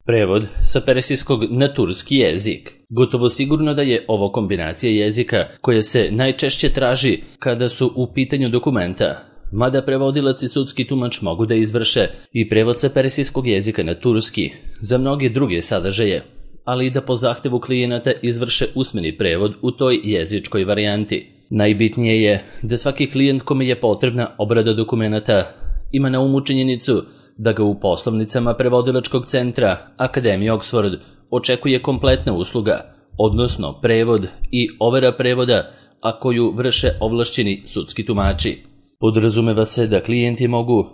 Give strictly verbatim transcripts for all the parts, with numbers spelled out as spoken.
Prevod sa persijskog na turski jezik. Gotovo sigurno da je ovo kombinacija jezika koja se najčešće traži kada su u pitanju dokumenta, mada prevodilac i sudski tumač mogu da izvrše i prevod sa persijskog jezika na turski za mnoge druge sadržaje, ali i da po zahtevu klijenata izvrše usmeni prevod u toj jezičkoj varijanti. Najbitnije je da svaki klijent kome je potrebna obrada dokumenata ima na umu činjenicu da ga u poslovnicama prevodilačkog centra Akademije Oxford očekuje kompletna usluga, odnosno prevod i overa prevoda, a koju vrše ovlašćeni sudski tumači. Podrazumeva se da klijenti mogu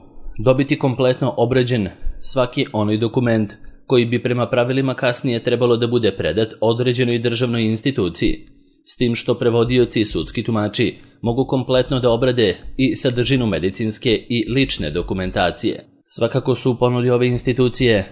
dobiti kompletno obrađen svaki onaj dokument koji bi prema pravilima kasnije trebalo da bude predat određenoj državnoj instituciji, s tim što prevodioci i sudski tumači mogu kompletno da obrade i sadržinu medicinske i lične dokumentacije. Svakako su u ponudi ove institucije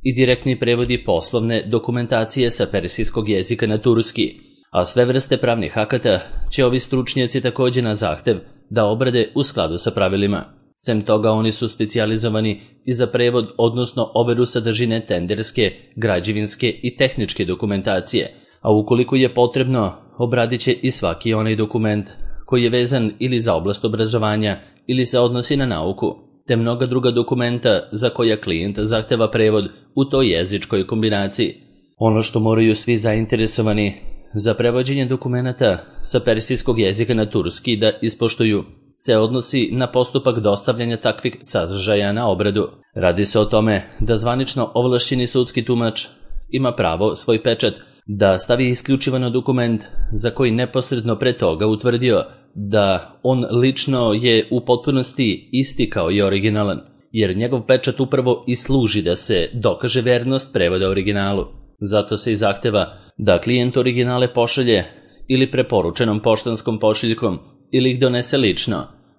i direktni prevodi poslovne dokumentacije sa persijskog jezika na turski, a sve vrste pravnih akata će ovi stručnjaci također na zahtev da obrade u skladu sa pravilima. Sem toga oni su specijalizovani i za prevod, odnosno overu sadržine tenderske, građevinske i tehničke dokumentacije, a ukoliko je potrebno, obradit će i svaki onaj dokument koji je vezan ili za oblast obrazovanja ili se odnosi na nauku, te mnoga druga dokumenta za koja klijent zahteva prevod u toj jezičkoj kombinaciji. Ono što moraju svi zainteresovani za prevođenje dokumenata sa persijskog jezika na turski da ispoštuju se odnosi na postupak dostavljanja takvih sadržaja na obradu. Radi se o tome da zvanično ovlašćeni sudski tumač ima pravo svoj pečat da stavi isključivo na dokument za koji neposredno pre toga utvrdio da on lično je u potpunosti isti kao i originalan, jer njegov pečat upravo i služi da se dokaže vernost prevoda originalu. Zato se i zahteva da klijent originale pošalje ili preporučenom poštanskom pošiljkom ili ih donese lično,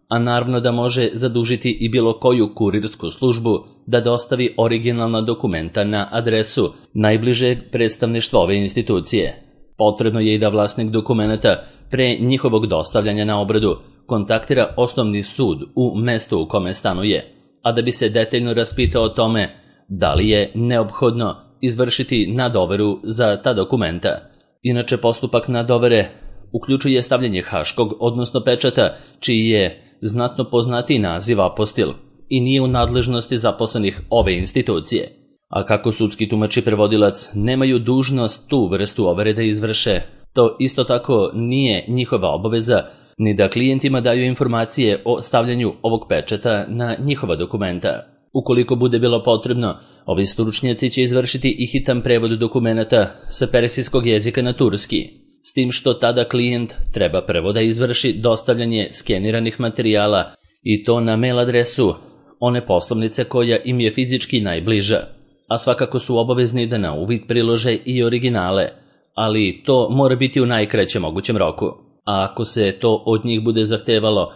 a naravno da može zadužiti i bilo koju kurirsku službu da dostavi originalna dokumenta na adresu najbližeg predstavništva ove institucije. Potrebno je i da vlasnik dokumenta pre njihovog dostavljanja na obradu kontaktira osnovni sud u mestu u kome stanuje, a da bi se detaljno raspitao o tome da li je neophodno izvršiti nadoveru za ta dokumenta. Inače, postupak nadovere uključuje stavljanje haškog, odnosno pečata, čiji je znatno poznatiji naziv apostil i nije u nadležnosti zaposlenih ove institucije. A kako sudski tumač i prevodilac nemaju dužnost tu vrstu overe da izvrše, to isto tako nije njihova obaveza ni da klijentima daju informacije o stavljanju ovog pečata na njihova dokumenta. Ukoliko bude bilo potrebno, ovi stručnjaci će izvršiti i hitan prevod dokumenata sa persijskog jezika na turski, s tim što tada klijent treba prvo da izvrši dostavljanje skeniranih materijala i to na mail adresu one poslovnice koja im je fizički najbliža, a svakako su obavezni da na uvid prilože i originale, ali to mora biti u najkraćem mogućem roku. A ako se to od njih bude zahtevalo,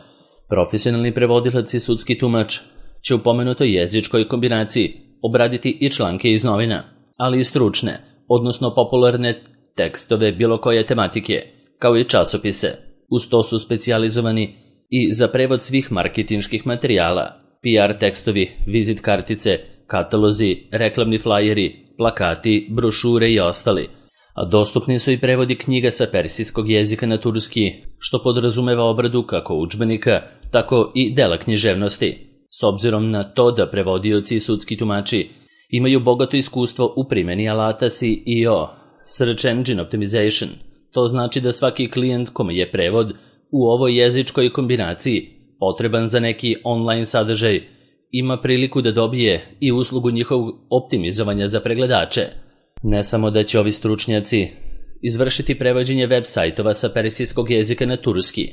profesionalni prevodilac i sudski tumač će u pomenutoj jezičkoj kombinaciji obraditi i članke iz novina, ali i stručne, odnosno popularne tekstove bilo koje tematike, kao i časopise. Uz to su specijalizovani i za prevod svih marketinških materijala, P R tekstovi, vizit kartice, katalozi, reklamni flajeri, plakati, brošure i ostali. A dostupni su i prevodi knjiga sa persijskog jezika na turski, što podrazumeva obradu kako udžbenika, tako i dela književnosti. S obzirom na to da prevodioci i sudski tumači imaju bogato iskustvo u primjeni alata S E O, Search Engine Optimization, to znači da svaki klijent kome je prevod u ovoj jezičkoj kombinaciji potreban za neki online sadržaj ima priliku da dobije i uslugu njihovog optimizovanja za pregledače. Ne samo da će ovi stručnjaci izvršiti prevođenje web sajtova sa persijskog jezika na turski,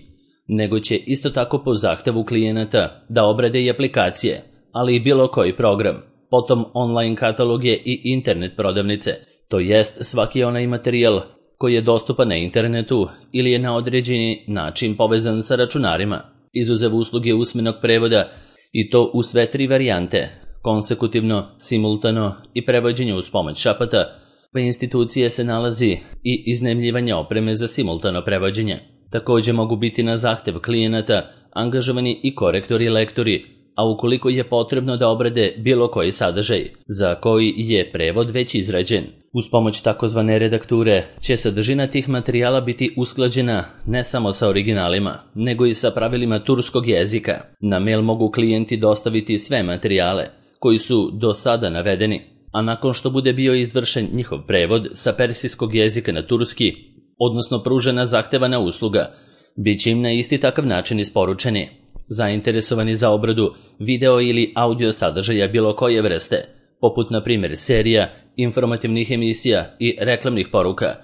nego će isto tako po zahtevu klijenata da obrade i aplikacije, ali i bilo koji program, potom online kataloge i internet prodavnice, to jest svaki onaj materijal koji je dostupan na internetu ili je na određeni način povezan sa računarima, izuzev usluge usmenog prevoda, i to u sve tri varijante, konsekutivno, simultano i prevođenje uz pomoć šapata, pa institucije se nalazi i iznajmljivanje opreme za simultano prevođenje. Također mogu biti na zahtev klijenata angažovani i korektori i lektori a ukoliko je potrebno da obrade bilo koji sadržaj, za koji je prevod već izrađen. Uz pomoć takozvane redakture će sadržina tih materijala biti usklađena ne samo sa originalima, nego i sa pravilima turskog jezika. Na mail mogu klijenti dostaviti sve materijale koji su do sada navedeni, a nakon što bude bio izvršen njihov prevod sa persijskog jezika na turski, odnosno pružena zahtevana usluga, bit će im na isti takav način isporučeni. Zainteresovani za obradu video ili audio sadržaja bilo koje vrste, poput na primjer serija, informativnih emisija i reklamnih poruka,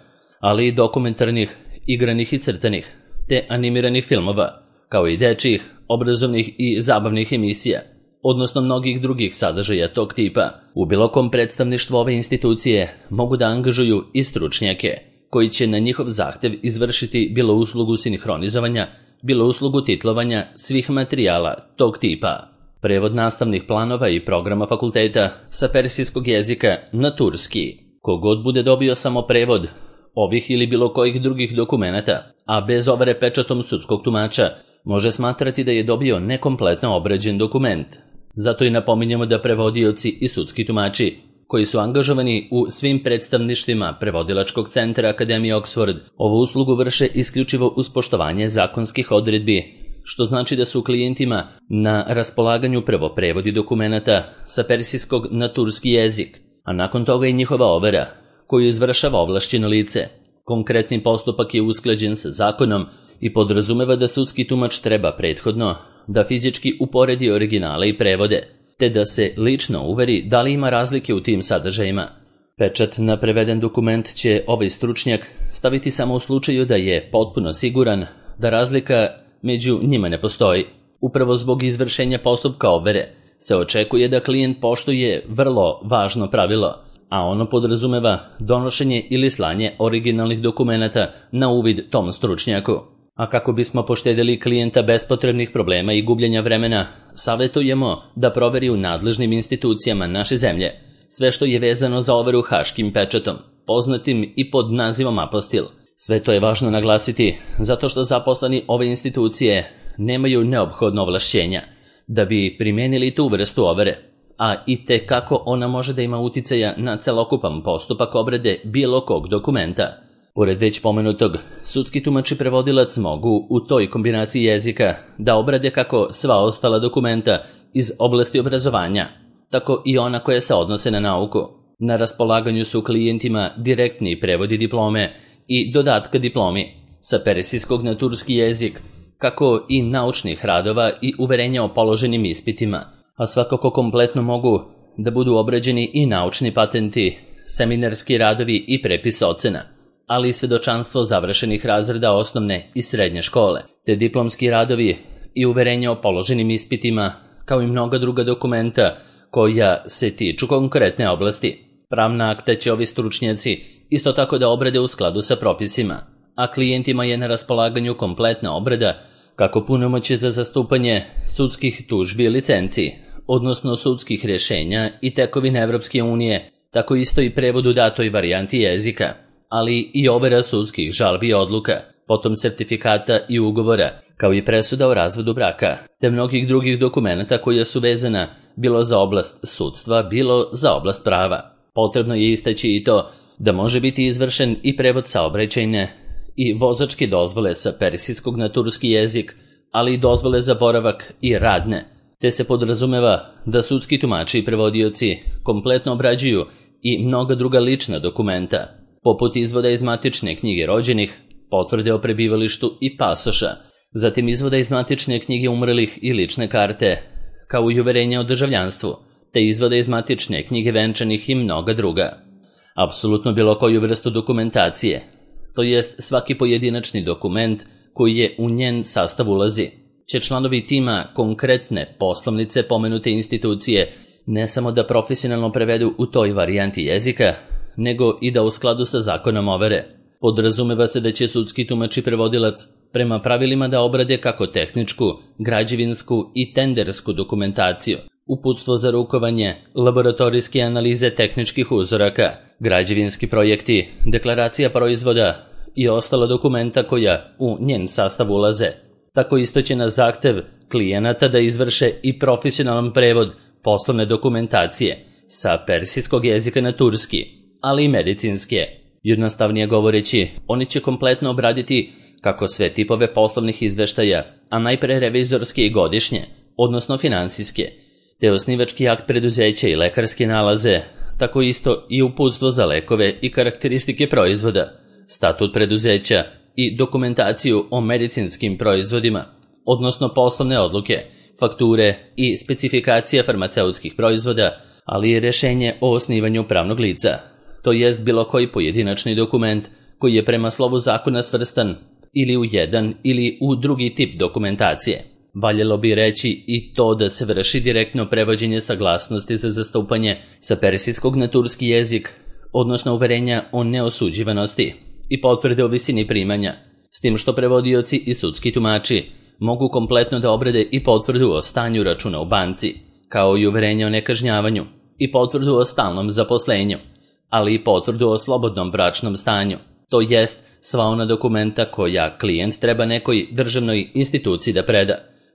ali i dokumentarnih, igranih i crtanih, te animiranih filmova, kao i dečjih, obrazovnih i zabavnih emisija, odnosno mnogih drugih sadržaja tog tipa. U bilo kom predstavništvu ove institucije mogu da angažuju i stručnjake, koji će na njihov zahtev izvršiti bilo uslugu sinhronizovanja, bilo uslugu titlovanja svih materijala tog tipa. Prevod nastavnih planova i programa fakulteta sa persijskog jezika na turski. Kogod bude dobio samo prevod ovih ili bilo kojih drugih dokumenata, a bez overe pečatom sudskog tumača, može smatrati da je dobio nekompletno obrađen dokument. Zato i napominjemo da prevodioci i sudski tumači, koji su angažovani u svim predstavništvima Prevodilačkog centra Akademije Oxford, ovu uslugu vrše isključivo uz poštovanje zakonskih odredbi, što znači da su klijentima na raspolaganju prvo prevodi dokumenata sa persijskog na turski jezik, a nakon toga i njihova overa, koju izvršava ovlašćeno lice. Konkretni postupak je usklađen sa zakonom i podrazumeva da sudski tumač treba prethodno da fizički uporedi originale i prevode, te da se lično uveri da li ima razlike u tim sadržajima. Pečat na preveden dokument će ovaj stručnjak staviti samo u slučaju da je potpuno siguran da razlika među njima ne postoji. Upravo zbog izvršenja postupka overe se očekuje da klijent poštuje vrlo važno pravilo, a ono podrazumeva donošenje ili slanje originalnih dokumenata na uvid tom stručnjaku. A kako bismo poštedili klijenta bespotrebnih problema i gubljenja vremena, savjetujemo da proveri u nadležnim institucijama naše zemlje sve što je vezano za overu haškim pečatom, poznatim i pod nazivom apostil. Sve to je važno naglasiti zato što zaposleni ove institucije nemaju neophodno ovlašćenja da bi primijenili tu vrstu overe, a i te kako ona može da ima uticaja na celokupan postupak obrade bilo kog dokumenta. Pored već pomenutog, sudski tumač i prevodilac mogu u toj kombinaciji jezika da obrade kako sva ostala dokumenta iz oblasti obrazovanja, tako i ona koja se odnose na nauku. Na raspolaganju su klijentima direktni prevodi diplome i dodatka diplomi sa persijskog na turski jezik, kako i naučnih radova i uverenja o položenim ispitima, a svakako kompletno mogu da budu obrađeni i naučni patenti, seminarski radovi i prepis ocena, ali i svedočanstvo završenih razreda osnovne i srednje škole, te diplomski radovi i uverenja o položenim ispitima, kao i mnoga druga dokumenta koja se tiču konkretne oblasti. Pravna akta će ovi stručnjaci isto tako da obrade u skladu sa propisima, a klijentima je na raspolaganju kompletna obrada kako punomoći za zastupanje sudskih tužbi i licenci, odnosno sudskih rješenja i tekovine Evropske unije, tako isto i prevod u datoj varijanti jezika, ali i overa sudskih žalbi i odluka, potom sertifikata i ugovora, kao i presuda o razvodu braka, te mnogih drugih dokumenata koja su vezana bilo za oblast sudstva, bilo za oblast prava. Potrebno je istaći i to da može biti izvršen i prevod saobraćajne i vozačke dozvole sa persijskog na turski jezik, ali i dozvole za boravak i radne, te se podrazumeva da sudski tumači i prevodioci kompletno obrađuju i mnoga druga lična dokumenta, poput izvoda iz matične knjige rođenih, potvrde o prebivalištu i pasoša, zatim izvoda iz matične knjige umrlih i lične karte, kao i uverenja o državljanstvu, te izvoda iz matične knjige venčanih i mnoga druga. Apsolutno bilo koju vrstu dokumentacije, to jest svaki pojedinačni dokument koji je u njen sastav ulazi, će članovi tima konkretne poslovnice pomenute institucije ne samo da profesionalno prevedu u toj varijanti jezika, nego i da u skladu sa zakonom overe. Podrazumeva se da će sudski tumač i prevodilac prema pravilima da obrade kako tehničku, građevinsku i tendersku dokumentaciju, uputstvo za rukovanje, laboratorijske analize tehničkih uzoraka, građevinski projekti, deklaracija proizvoda i ostala dokumenta koja u njen sastav ulaze. Tako isto će na zahtev klijenata da izvrše i profesionalan prevod poslovne dokumentacije sa persijskog jezika na turski, ali i medicinske. Jednostavnije govoreći, oni će kompletno obraditi kako sve tipove poslovnih izveštaja, a najpre revizorske i godišnje, odnosno finansijske, te osnivački akt preduzeća i lekarske nalaze, tako isto i uputstvo za lekove i karakteristike proizvoda, statut preduzeća i dokumentaciju o medicinskim proizvodima, odnosno poslovne odluke, fakture i specifikacija farmaceutskih proizvoda, ali i rješenje o osnivanju pravnog lica, to jest bilo koji pojedinačni dokument koji je prema slovu zakona svrstan ili u jedan ili u drugi tip dokumentacije. Valjalo bi reći i to da se vrši direktno prevođenje saglasnosti za zastupanje sa persijskog na turski jezik, odnosno uverenja o neosuđivanosti i potvrde o visini primanja, s tim što prevodioci i sudski tumači mogu kompletno da obrade i potvrdu o stanju računa u banci, kao i uverenje o nekažnjavanju i potvrdu o stalnom zaposlenju, ali i potvrdu o slobodnom bračnom stanju, to jest sva ona dokumenta koja klijent treba nekoj državnoj instituciji da preda,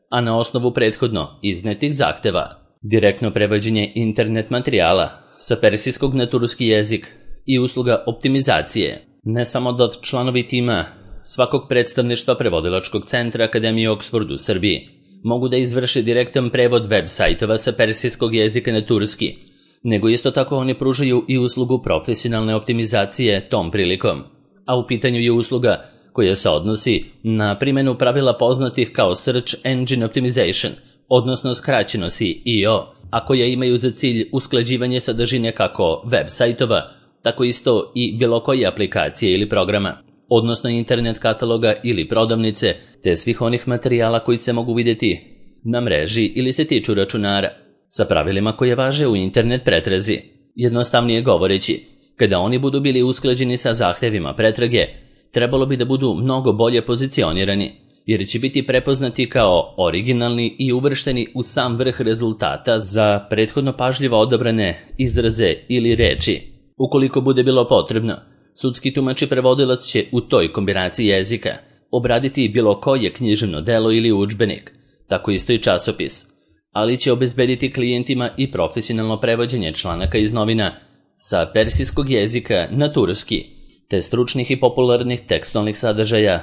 a na osnovu prethodno iznetih zahteva. Direktno prevođenje internet materijala sa persijskog na turski jezik i usluga optimizacije, ne samo da članovi tima svakog predstavništva prevodilačkog centra Akademije Oxford u Srbiji mogu da izvrše direktan prevod web sajtova sa persijskog jezika na turski, nego isto tako oni pružaju i uslugu profesionalne optimizacije tom prilikom, a u pitanju je usluga koja se odnosi na primjenu pravila poznatih kao Search Engine Optimization, odnosno skraćeno S E O, a koja imaju za cilj usklađivanje sadržine kako web sajtova, tako isto i bilo koje aplikacije ili programa, odnosno internet kataloga ili prodavnice, te svih onih materijala koji se mogu vidjeti na mreži ili se tiču računara, sa pravilima koje važe u internet pretrazi. Jednostavnije govoreći, kada oni budu bili usklađeni sa zahtevima pretrage, trebalo bi da budu mnogo bolje pozicionirani, jer će biti prepoznati kao originalni i uvršteni u sam vrh rezultata za prethodno pažljivo odabrane izraze ili reči. Ukoliko bude bilo potrebno, sudski tumač i prevodilac će u toj kombinaciji jezika obraditi bilo koje književno delo ili udžbenik, tako isto i časopis, ali će obezbediti klijentima i profesionalno prevođenje članaka iz novina sa persijskog jezika na turski, te stručnih i popularnih tekstualnih sadržaja,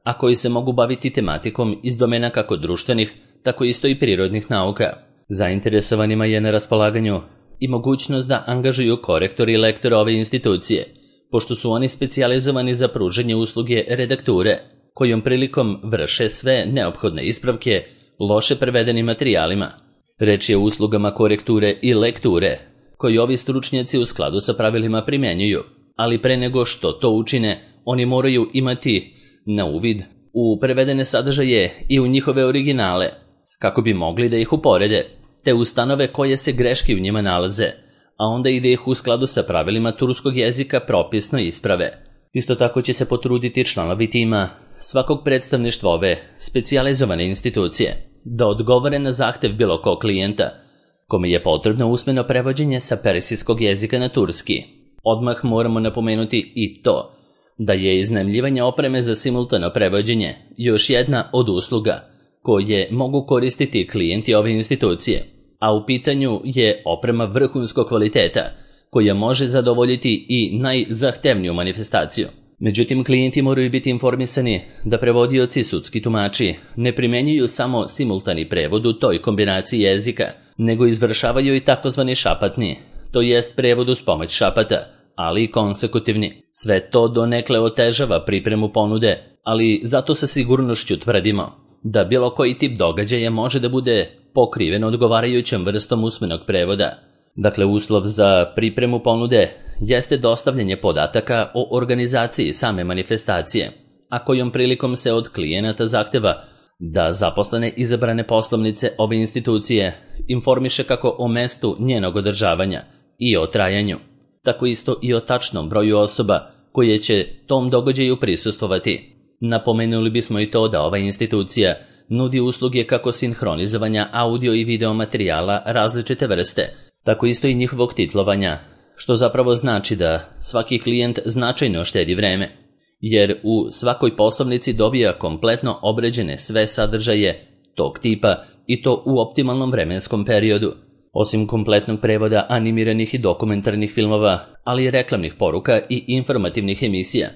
a koji se mogu baviti tematikom iz domena kako društvenih, tako isto i prirodnih nauka. Zainteresovanima je na raspolaganju i mogućnost da angažuju korektori i lektore ove institucije, pošto su oni specijalizovani za pružanje usluge redakture, kojom prilikom vrše sve neophodne ispravke loše prevedenim materijalima. Reč je o uslugama korekture i lekture, koji ovi stručnjaci u skladu sa pravilima primjenjuju, ali pre nego što to učine, oni moraju imati na uvid u prevedene sadržaje i u njihove originale, kako bi mogli da ih uporede, te ustanove koje se greške u njima nalaze, a onda i da ih u skladu sa pravilima turskog jezika propisno isprave. Isto tako će se potruditi članovi tima svakog predstavništva ove specijalizovane institucije da odgovore na zahtev bilo kog klijenta, kome je potrebno usmeno prevođenje sa persijskog jezika na turski. Odmah moramo napomenuti i to da je iznajmljivanje opreme za simultano prevođenje još jedna od usluga koje mogu koristiti klijenti ove institucije, a u pitanju je oprema vrhunskog kvaliteta koja može zadovoljiti i najzahtevniju manifestaciju. Međutim, klijenti moraju biti informisani da prevodioci i sudski tumači ne primenjuju samo simultani prevod u toj kombinaciji jezika, nego izvršavaju i takozvani šapatni, to jest prevod uz pomoć šapata, ali i konsekutivni. Sve to donekle otežava pripremu ponude, ali zato sa sigurnošću tvrdimo da bilo koji tip događaja može da bude pokriven odgovarajućom vrstom usmenog prevoda. Dakle, uslov za pripremu ponude jeste dostavljanje podataka o organizaciji same manifestacije, a kojom prilikom se od klijenata zahteva da zaposlene izabrane poslovnice ove institucije informiše kako o mestu njenog održavanja i o trajanju, tako isto i o tačnom broju osoba koje će tom događaju prisustvovati. Napomenuli bismo i to da ova institucija nudi usluge kako sinhronizovanja audio i video materijala različite vrste, tako isto i njihovog titlovanja, što zapravo znači da svaki klijent značajno štedi vreme, jer u svakoj poslovnici dobija kompletno obređene sve sadržaje tog tipa i to u optimalnom vremenskom periodu. Osim kompletnog prevoda animiranih i dokumentarnih filmova, ali i reklamnih poruka i informativnih emisija,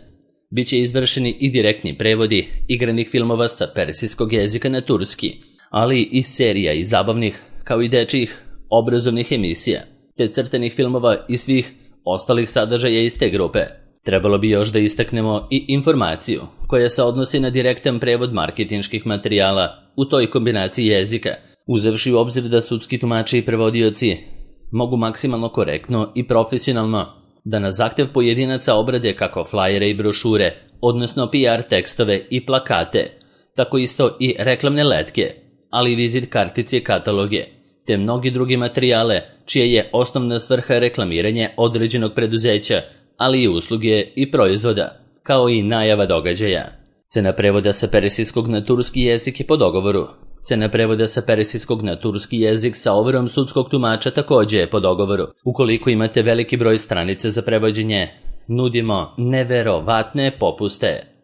biće izvršeni i direktni prevodi igranih filmova sa persijskog jezika na turski, ali i serija i zabavnih, kao i dečijih obrazovnih emisija, te crtenih filmova i svih ostalih sadržaja iz te grupe. Trebalo bi još da istaknemo i informaciju koja se odnosi na direktan prevod marketinških materijala u toj kombinaciji jezika, uzevši u obzir da sudski tumači i prevodioci mogu maksimalno korektno i profesionalno da na zahtev pojedinaca obrade kako flajere i brošure, odnosno P R tekstove i plakate, tako isto i reklamne letke, ali i vizit kartice i kataloge, te mnogi drugi materijale čije je osnovna svrha reklamiranje određenog preduzeća, ali i usluge i proizvoda, kao i najava događaja. Cena prevoda sa persijskog na turski jezik je po dogovoru. Cena prevoda sa persijskog na turski jezik sa overom sudskog tumača također je po dogovoru. Ukoliko imate veliki broj stranica za prevođenje, nudimo neverovatne popuste.